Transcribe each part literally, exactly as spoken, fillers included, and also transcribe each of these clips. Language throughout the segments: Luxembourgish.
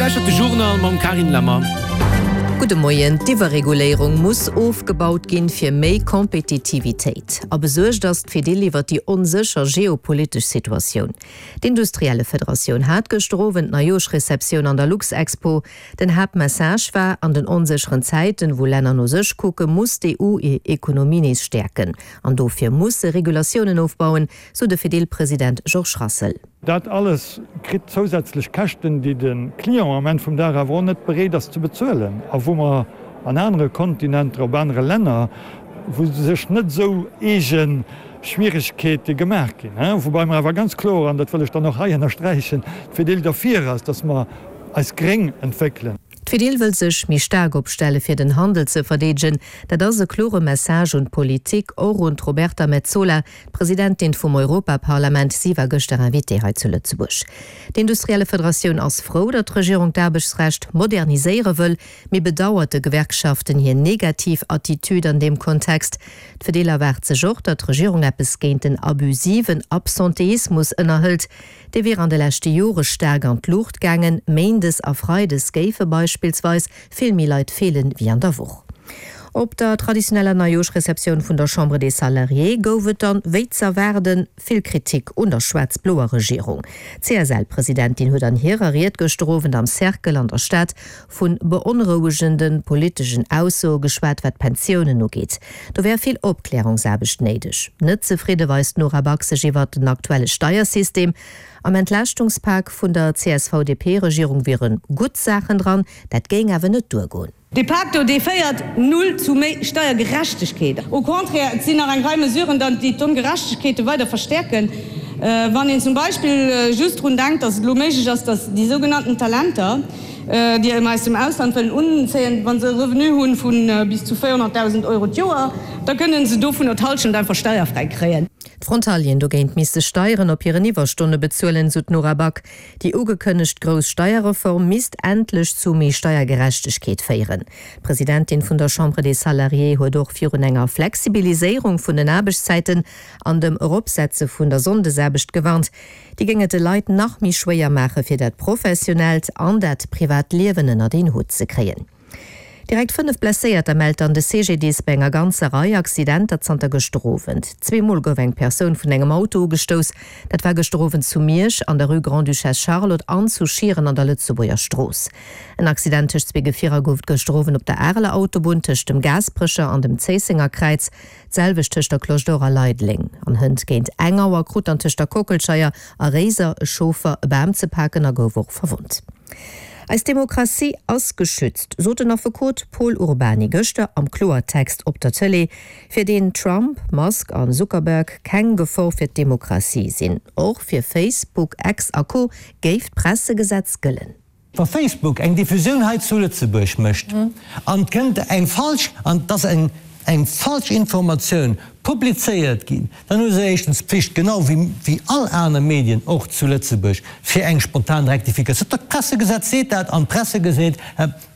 lauschtert de Journal mam Carine Lemmer. Gudde Moien, D'Iwwerreguléierung muss ofgebaut ginn, fir méi Kompetitivitéit. A besuergt ass d'Fedil iwwer déi onsécher geopolitesch Situatioun. D'Industriellefederatioun hat gëschter Owend Neijoerschreceptioun an der Luxexpo. Den Haaptmessage war, An den onsécheren Zäiten, wou Länner no sech kucken, muss d'EU hir Ekonomie nees stäerken. An dofir muss se Regulatiounen ofbauen, sou de Fedil-President Georges Rassel. Dat alles kritt zousätzlech Käschten, déi de Client am Enn vum Dag awer och net bereet ass ze bezuelen a wou mer an anere Kontinenter, op anere Länner, wou sech net esou eege Schwieregkeete gemaach ginn. Woubäi mer awer ganz kloer, an dat wëll ech dann och hei ënnersträichen, d'Fedil derfir ass, dass mer eis gréng entwéckelen. D'Fedil wëll sech méi staark opstelle fir den Handel ze verdeedegen. Dat ass e klore Message un d'Politik, och un d'Roberta Metsola, d'Presidentin vum Europaparlament. Si war gëschter Invitée hei zu Lëtzebuerg. D'Industriellefederatioun ass frou, datt d'Regierung d'Aarbechtsrecht moderniséiere wëll, mee bedauert de Gewerkschaften hir negativ Attitüd an deem Kontext. D'Fedil erwaart sech och, datt d'Regierung eppes géint den abusiven Absenteismus ënnerhëlt. Dee wier an de leschte Jore staark an d'Luucht gaangen. Méindes a freides géife beispillsweis vill méi Leit feelen, wéi an der Woch. Op der traditioneller Neijoerschreceptioun vun der Chambre des Salariés gouf et dann, wéi z'erwaarden, vill Kritik un der schwaarz-bloer Regierung. D'CSL-Presidentin huet an hirer Ried gëschter Owend am Cercle an der Stad vu beonrouegende politeschen Aussoe geschwat, wat d'Pensiounen ugeet. Do wär vill Opklärungsaarbecht néideg. Net zefridde weist d'Nora Back sech iwwert den aktuelle Steiersystem. Am Entlaaschtungspak vun der CSV-DP-Regierung wiere gutt Saachen dran, dat géing awer net duergoen. Dee Pak do, dee féiert null zu méi Steiergerechtegkeet. Au contraire, et sinn nach eng Rei Mesuren dann, déi d'Ongerechtegkeete weider verstäerken. Wann een zum Beispill just drun denkt, dass et elo méiglech ass, dass déi sougenannten Talenter, déi mer aus dem Ausland wëllen unzéien, wa se e Revenu hu vu bis zu véierhonnertdausend Euro d'Joer, da kënnen se dovunner d'Hallschent einfach steierfräi kréien. D'Frontalieren dogéint misste Steieren op hiren Iwwerstonne bezuelen, sou d'Nora Back. Déi ugekënnegt grouss Steierreform misst endlech zu méi Steiergerechtegkeet féieren. D'Presidentin vun der Chambre des Salariés huet och virun enger Flexibiliséierung vun den Aarbechtszäiten an dem Eropsetze vun der Sonndesaarbecht gewarnt. Déi géing et de Leit nach méi schwéier maache fir dat professionellt an dat privat Liewen ënnert een Hutt ze kréien. Direkt fënnef Blesséierter mellt dann de CGDIS bei enger ganzer Rei Accidenter zanter gëschter Owend. Zwee Mol gouf eng Persoun vun engem Auto ugestouss. Dat war gëschter Owend zu Miersch an der Rue Grande-Duchesse Charlotte an zu Schieren an der Lëtzebuerger Strooss. En Accident tëscht zwee Gefierer gouf et gëschter Owend op der Areler Autobunn tëscht dem Gaasperecher an dem Zéissenger Kräiz. D'selwecht tëscht der Cloche d'Or a Leideleng. An hënt géint eng Auer krut dann tëscht der Kockelscheier a Réiser e Chauffer e Bam ze paken a gouf och verwonnt. Eis Demokratie ass geschützt, sot den Affekot Pol Urbany gëschter am Kloertext op der Tëlee, fir deen Trump, Musk an Zuckerberg keng Gefor fir d'Demokratie sinn. Och fir Facebook, X a Co géif d'Pressegesetz gëllen. Wa Facebook eng Diffusioun hei zu Lëtzebuerg mécht an et kënnt eng falsch, an et ass eng eng falsch Informatioun publizéiert ginn, dann hu se éischtens d'Pflicht, genau wéi wéi all aner Medien och zu Lëtzebuerg, fir eng spontan Rektifikatioun. D'Pressegesetz seet dat an d'Pressegeset,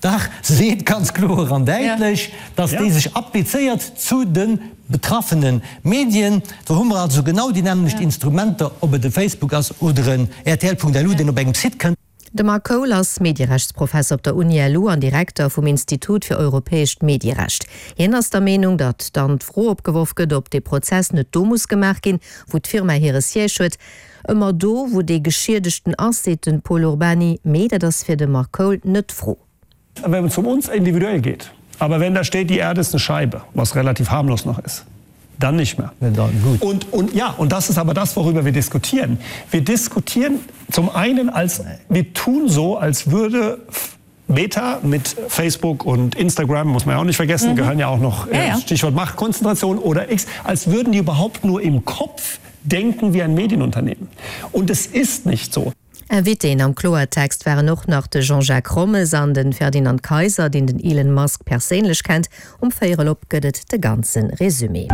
dach, seet ganz kloer an däitlech, dass déi sech applizéiert zu de betraffene Medien. Do hu mer also genau déi nämmlecht Instrumenter, ob et e Facebook ass oder en rtl.lu, deen op engem Site kënnt. De Mark Cole ass Medierechtsprofesser op der Uni-LU an Direkter vum Institut fir europäescht Medierecht. Hien ass der Meenung, datt dann d'Fro opgeworf gëtt, ob dee Prozess net do muss gemaach ginn, wou d'Firma hire Siège huet. Ëmmer do, wou dee Geschiedegten ass, seet de Pol Urbany. Mee dat ass fir de Mark Cole net d'Fro. Wenn es um uns individuell geht. Aber wenn da steht, die Erde ist eine Scheibe, was relativ harmlos noch ist, dann nicht mehr. Ja, dann gut. Und, und, ja, und das ist aber das, worüber wir diskutieren. Wir diskutieren zum einen als wir tun so, als würde Meta mit Facebook und Instagram, muss man ja auch nicht vergessen, mhm. gehören ja auch noch äh, ja, ja. Stichwort Machtkonzentration oder X, als würden die überhaupt nur im Kopf denken wie ein Medienunternehmen. Und es ist nicht so. Invitéen am Kloertext waren och nach de Jean-Jacques Rommes an de Ferdinand Kayser, deen den Elon Musk perséinlech kennt. Um véierel op gëtt et de ganze Resumé.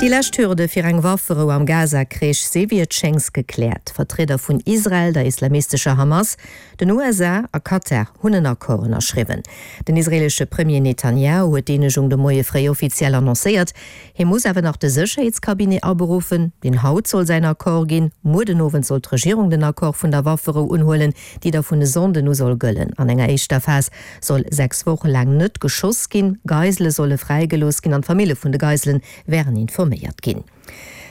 Déi lescht Hürde fir eng Wafferou am Gaza-Krich si wéi et schéngs gekläert. Vertrieder vun Israel, der islamistescher Hamas, den USA a Katar hunn en Accord ënnerschriwwen. Den israeelesche Premier Netanjahu huet d'Eenegung de Moie fréi offiziell annoncéiert. Hie muss awer nach de Sécherheetscabinet aberuffen, deen haut soll säin Accord ginn. Muer den Owend soll d'Regierung den Accord vun der Wafferou Wafferou unhuelen, déi da vun e Sonnden u soll gëllen. An enger éischter Phas soll sechs Woche laang net geschoss ginn, Geisele solle fräigelooss ginn an d'Famille vun de Geisele wären informéiert ginn.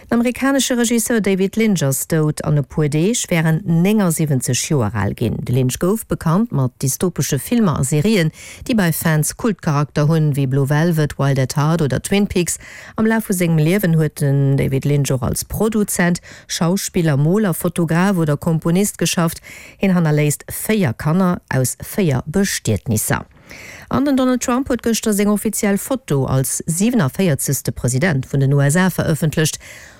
Den amerikanesche Regisseur David Lynch ass dout. An e puer Deeg wär en néngasiwwenzeg Joer al ginn. De Lynch gouf bekannt mat dystopesche Filmer a Serien, déi bei Fans Kultcharakter hunn, wéi Blue Velvet, Wild at Heart oder Twin Peaks. Am Laf vu sengem Liewen huet den David Lynch och als Produzent, Schauspiller, Moler, Fotograf oder Komponist geschafft. Hien hannerléisst véier Kanner aus véier Bestietnisser. An den Donald Trump huet gëschter seng offiziell Foto als siwenavéierzegste President vun den U S A verëffentlecht.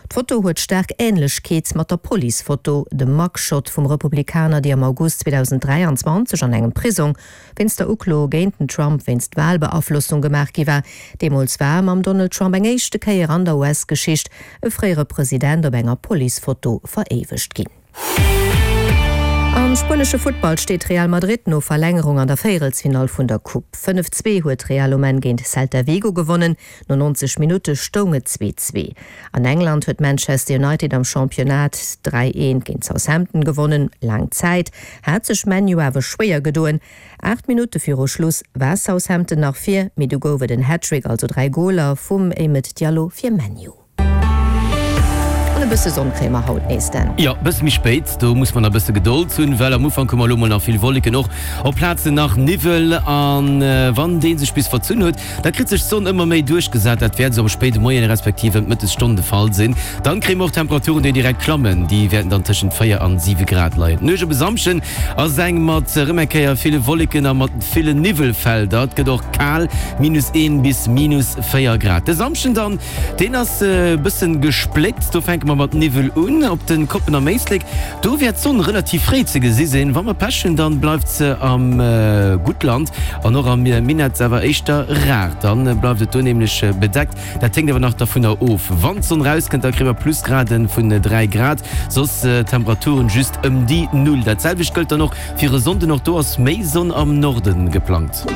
D'Foto huet staark Änlechkeet mat der Police-Foto, dem Mugshot vum Republikaner, déi am August zweedausenddräianzwanzeg an engem Prisong wéinst der Uklo géint den Trump wéinst Walbeaflossung gemaach gi war. Deemools war mam Donald Trump eng éischte Kéier an der U S-Geschicht e fréiere President op enger Police-Foto veréiwegt ginn. Am spuenesche Futtball steet Real Madrid no Verlängerung an der Véierelsfinall vun der Coupe. Fënnef zwee huet Real um Enn géint Celta Vigo gewonnen, no neunzeg Minutte stoung et zwee zwee. An England huet Manchester United am Championnat dräi eent géint Southampton gewonnen. Laang Zäit hat sech Man U awer schwéier gedoen. Aacht Minutte viru Schluss war Southampton nach vir, mee du gouf et en Hattrick, also dräi Goler vum Amad Diallo fir Man U. An e bësse Sonn kréie mer haut nees, Dan. Jo, e bësse méi spéit, do muss mer nach e bësse Gedold hunn, well am Ufank hu mer elo mol nach vill Wolleken, och op Plazen nach Niwwel. An wann dee sech bis verzunn huet, da kritt sech d'Sonn ëmmer méi duerchgesat. Dat wäert esou am spéide Moien respektiv ëm d'Mëttesstonn de Fall sinn. Dann kréie mer och Temperaturen, déi direkt klammen, déi wäerten dann tëschent véier an siwe Grad leien. D'Nuecht op e Samschden ass eng mat erëm eng Kéier ville Wolleken a mat villen Niwwelfelder. Et gëtt och kal, minus een bis minus véier Grad. De Samschden dann, deen ass e bëssen gespléckt, do fänke mer mat Niwwel un. Op den Koppen am Éislek, do wäert d'Sonn relativ fréi ze gesi sinn. Wa mer Pech hunn, dann bleift se am Guttland an och am Minett awer éischter rar. Dann bleift et do nämlech bedeckt. Dat héngt awer nach dovunner of. Wann d'Sonn rauskënnt, da kréie mer Plusgraden vun dräi Grad, soss Temperaturen just ëm déi Null. Dat selwecht gëllt dann och fir e Sonnden, och do ass méi Sonn am Norden geplangt.